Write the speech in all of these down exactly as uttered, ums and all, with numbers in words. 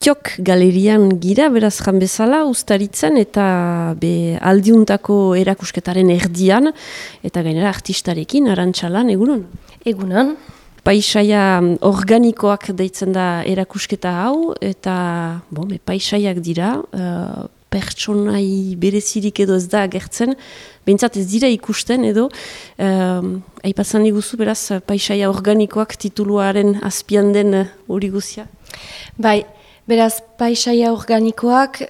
Itiok galerian gira, beraz jan bezala, ustaritzen eta be aldiuntako erakusketaren erdian, eta gainera artistarekin, Arantxalan, egunon? Egunon. Paisaia organikoak deitzen da erakusketa hau, eta bon, be, paisaiak dira, uh, pertsonai berezirik edo ez da agertzen, behintzat ez dira ikusten edo, uh, aipatzen diguzu beraz paisaia organikoak tituluaren azpian den hori uh, guzia? Bai, beraz paisaia organikoak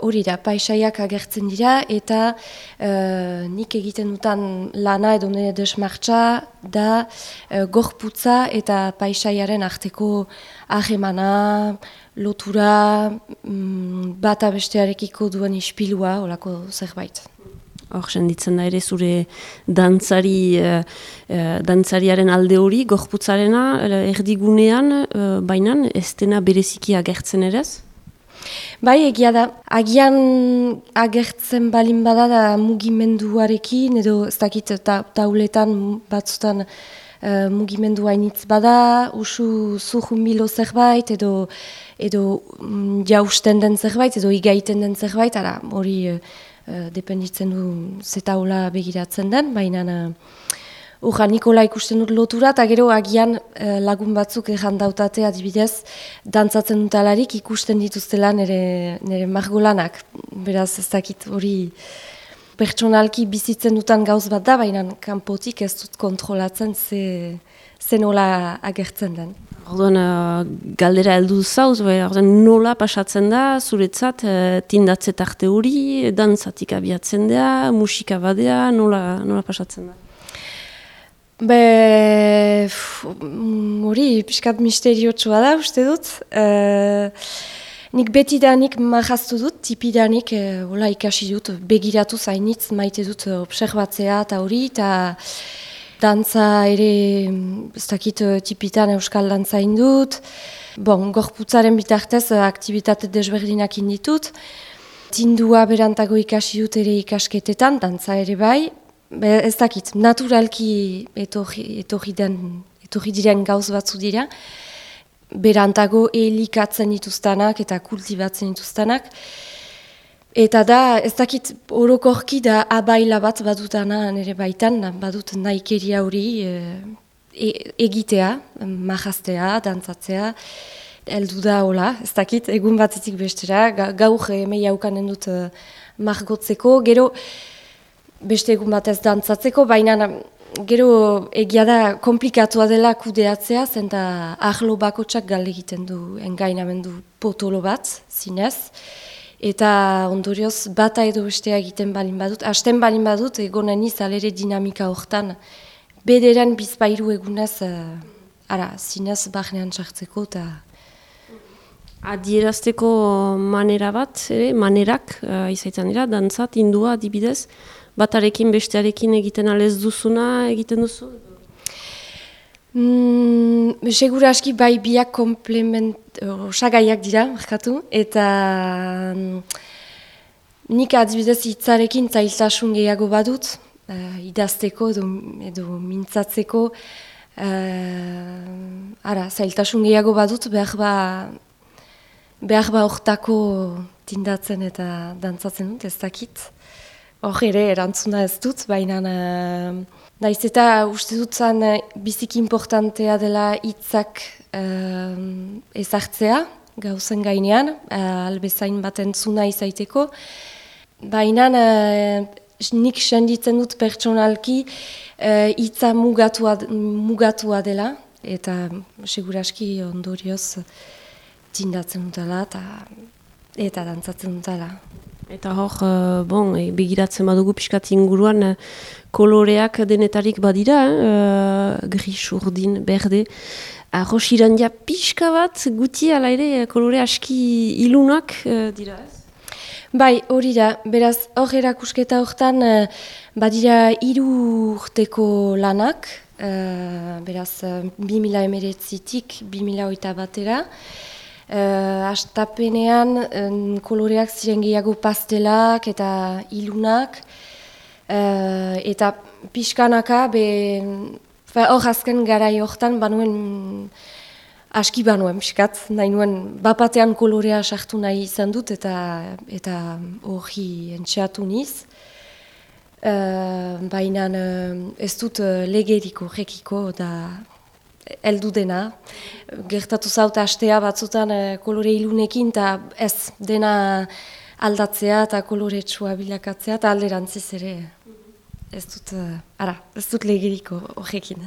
hori da, paisaiak agertzen dira eta uh, nik egiten dutan lana edo nire desmartza da uh, gorputza eta paisaiaren arteko ahemana, lotura, um, bata bestearekiko duen ispilua, olako zerbait. Hor, senditzen da ere zure dantzari, uh, uh, dantzariaren alde hori, gorputzarena uh, erdigunean, uh, bainan ez dena bereziki agertzen ere ez? Bai, egia da. Agian agertzen balin bada da mugimenduarekin, edo ez dakit ta, tauletan batzutan uh, mugimendu hainitz bada, usu zuhumilo zerbait, edo, edo um, jausten den zerbait, edo igaiten den zerbait, ara hori uh, dependitzen du zetaula begiratzen den, baina uh, Urra, Nikola ikusten dut lotura, eta gero agian eh, lagun batzuk errandautate adibidez, dantzatzen dutalarik ikusten dituztela nire, nire margolanak. Beraz, ez dakit hori pertsonalki bizitzen dutan gauz bat da, baina kanpotik ez dut kontrolatzen ze, ze nola agertzen den. Orduan, uh, galdera heldu zauz, orduan nola pasatzen da, zuretzat, uh, tindatze tarte hori, dantzatik abiatzen da, musika badea, nola, nola pasatzen da? Be, hori, piskat misteriotsua da, uste dut. E, nik betidanik marraztu dut, tipidanik e, hola ikasi dut, begiratu zainitz, maite dut observatzea eta hori, eta dantza ere, ez dakit tipitan euskal dantza indut. Bon, gorputzaren bitartez aktibitate desberdinak inditut. Tindua berantago ikasi dut ere ikasketetan, dantza ere bai. Be, ez dakit, naturalki etorri, etorri, den, etorri diren gauz batzu dira, berantago elikatzen dituztanak eta kultibatzen dituztanak. Eta da, ez dakit, orokorki da abaila bat badutana nire baitan, badut nahikeria hori e, egitea, marraztea, dantzatzea, heldu da hola, ez dakit, egun batetik bestera, gaur emei haukanen dut uh, margotzeko, gero, beste egun batez dantzatzeko, baina gero egia da komplikatua dela kudeatzea, zenta ahlo bakotsak galde egiten du engainamendu potolo bat, zinez. Eta ondorioz bata edo bestea egiten balin badut, hasten balin badut egonen izalere dinamika hortan, bederen bizpairu egunez, uh, ara, zinez bahnean sartzeko eta... Adierazteko manera bat, ere, manerak, uh, izaitan dira, dantzat, indua, adibidez, batarekin bestearekin egiten alez duzuna egiten duzu? Mm, segura aski bai biak komplement, osagaiak dira, markatu, eta mm, nik adibidez hitzarekin zailtasun gehiago badut, uh, idazteko edo, edo mintzatzeko, uh, ara, zailtasun gehiago badut, behar ba, behar ba hortako tindatzen eta dantzatzen dut, ez dakit. Hor ere, erantzuna ez dut, baina uh, naiz eta uste dut zan uh, biziki importantea dela hitzak uh, ezartzea, gauzen gainean, uh, albezain bat entzuna izaiteko. Baina uh, nik senditzen dut pertsonalki hitza uh, mugatua, mugatua dela, eta seguraski ondorioz tindatzen dutela eta, eta dantzatzen dutela. Eta hor, uh, bon, e, begiratzen badugu pixkat inguruan, uh, koloreak denetarik badira, uh, gris, urdin, berde. Arroz irandia pixka bat, guti ala ere, kolore aski ilunak uh, dira ez? Bai, hori da, beraz, hor erakusketa horretan, uh, badira hiru urteko lanak, uh, beraz, uh, bi mila emeretzitik, bi mila hogeita batera, Uh, astapenean um, koloreak ziren gehiago pastelak eta ilunak uh, eta pixkanaka hor azken garai hortan banuen aski banuen, piskat, nahi nuen, bapatean kolorea sartu nahi izan dut, eta eta hori entxeatu niz. Uh, Baina uh, ez dut uh, legerik horrekiko da heldu dena. Gertatu zaut astea batzutan uh, kolore ilunekin, eta ez dena aldatzea eta koloretsua bilakatzea, eta alderantziz ere. Ez dut, uh, ara, ez dut legeriko horrekin.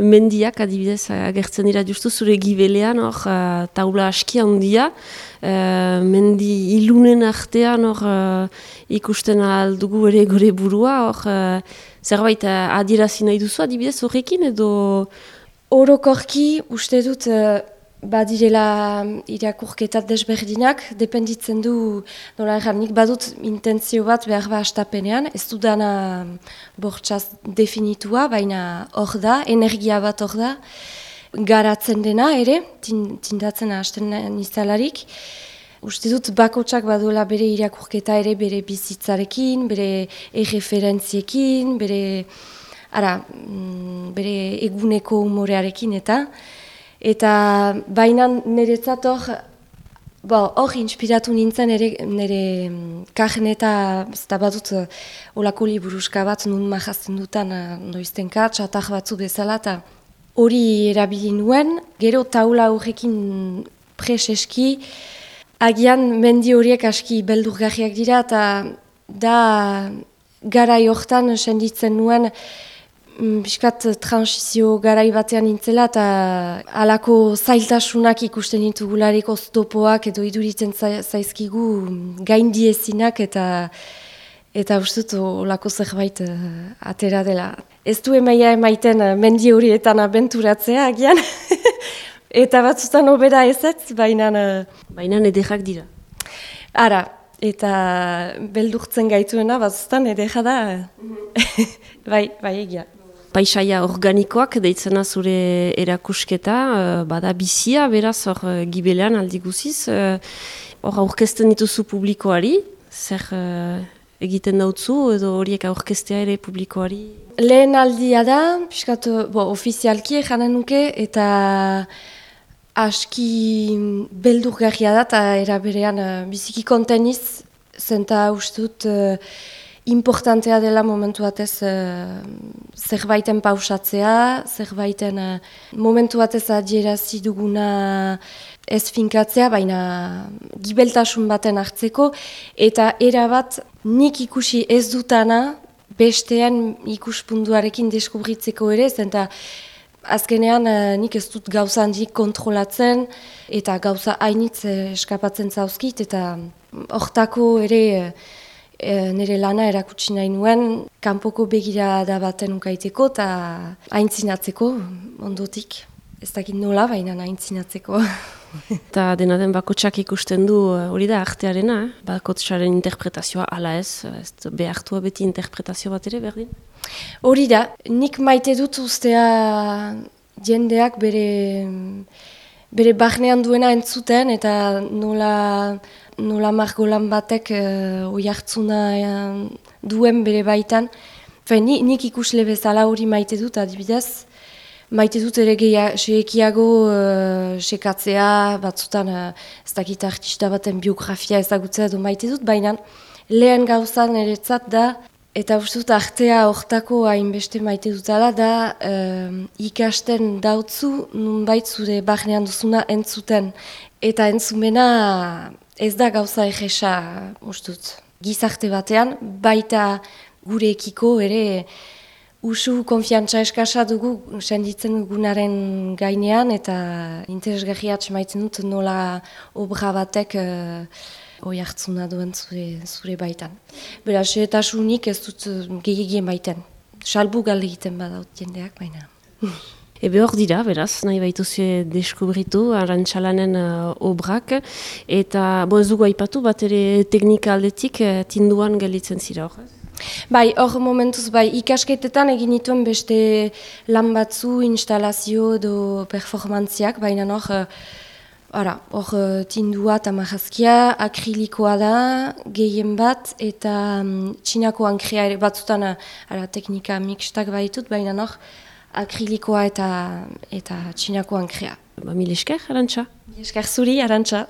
Mendiak adibidez agertzen dira justu zure gibelean, hor uh, taula aski handia, uh, mendi ilunen artean hor uh, ikusten aldugu ere gure burua, hor uh, zerbait uh, adierazi nahi duzu adibidez horrekin edo? Orokorki uste dut uh, badirela irakurketat desberdinak, dependitzen du, nola erran, nik badut intentzio bat behar ba astapenean, ez du dana bortxaz definitua, baina hor da, energia bat hor da, garatzen dena ere, tindatzen hasten nizalarik. Uste dut bakotsak baduela bere irakurketa ere bere bizitzarekin, bere erreferentziekin, bere, ara, bere eguneko humorearekin eta, Eta baina niretzat hor, hor inspiratu nintzen ere nire karneta, eta badut olako liburuska bat nun mahazten dutan noiztenka, txatak batzu bezala, eta hori erabili nuen, gero taula horrekin preseski, agian mendi horiek aski beldurgarriak dira, eta da garai hortan senditzen nuen, Biskat transizio garai batean nintzela eta halako zailtasunak ikusten ditugularek oztopoak edo iduritzen zaizkigu gaindiezinak eta eta ustut olako zerbait uh, atera dela. Ez du emaia emaiten uh, mendi horietan abenturatzea agian eta batzutan obera ezetz, baina... Uh, baina ederrak dira. Ara, eta beldurtzen gaituena batzutan edera da, bai, bai egia. Paisaia organikoak deitzena zure erakusketa, bada bizia, beraz hor gibelean aldi guziz. Hor aurkezten dituzu publikoari, zer egiten dautzu edo horiek aurkeztea ere publikoari? Lehen aldia da, piskat, bo, ofizialki janen nuke, eta aski beldurgarria da, eta eraberean biziki konteniz, zenta ustut, importantea dela momentu batez uh, zerbaiten pausatzea, zerbaiten uh, momentu batez adierazi duguna ez finkatzea, baina gibeltasun baten hartzeko, eta erabat nik ikusi ez dutana bestean ikuspunduarekin deskubritzeko ere, zenta azkenean uh, nik ez dut gauza handik kontrolatzen, eta gauza hainitz uh, eskapatzen zauzkit, eta hortako ere... Uh, E, nire lana erakutsi nahi nuen, kanpoko begirada baten ukaiteko eta aintzinatzeko ondotik. Ez dakit nola, baina aintzinatzeko. Eta dena den bakotsak ikusten du hori da artearena, eh? Bakotsaren interpretazioa ala ez, ez behartua beti interpretazio bat ere berdin? Hori da, nik maite dut ustea jendeak bere, bere barnean duena entzuten eta nola... nola margolan batek uh, oi hartzuna uh, duen bere baitan. Fe, ni, nik ikusle bezala hori maite dut adibidez. Maite dut ere seekiago uh, sekatzea, batzutan uh, ez dakit artista baten biografia ezagutzea edo maite dut, baina lehen gauzan eretzat da, eta uste dut artea hortako hainbeste maite dutala da uh, ikasten dautzu nunbait zure barnean duzuna entzuten. Eta entzumena ez da gauza egesa, ustut, gizarte batean, baita gurekiko ere usu konfiantza eskasa dugu senditzen dugunaren gainean, eta interesgarriat maitzen dut nola obra batek uh, oi hartzuna duen zure, zure baitan. Beraz, etasunik ez dut gehiagien baiten. Salbu galde egiten badaut jendeak, baina... Ebe hor dira, beraz, nahi baituzue deskubritu, Arantxalanen uh, obrak, eta bo ez dugu aipatu bat ere teknika aldetik uh, tinduan gelditzen zira hor. Bai, hor momentuz, bai, ikasketetan egin dituen beste lan batzu, instalazio edo performantziak, baina hor, uh, hor uh, tindua eta marrazkia, akrilikoa da, gehien bat, eta um, txinako ankrea ere batzutan, ara, teknika mixtak baitut, baina hor, akrilikoa eta eta txinako ankrea. Ba, mil esker, Arantxa. Esker zuri, Arantxa.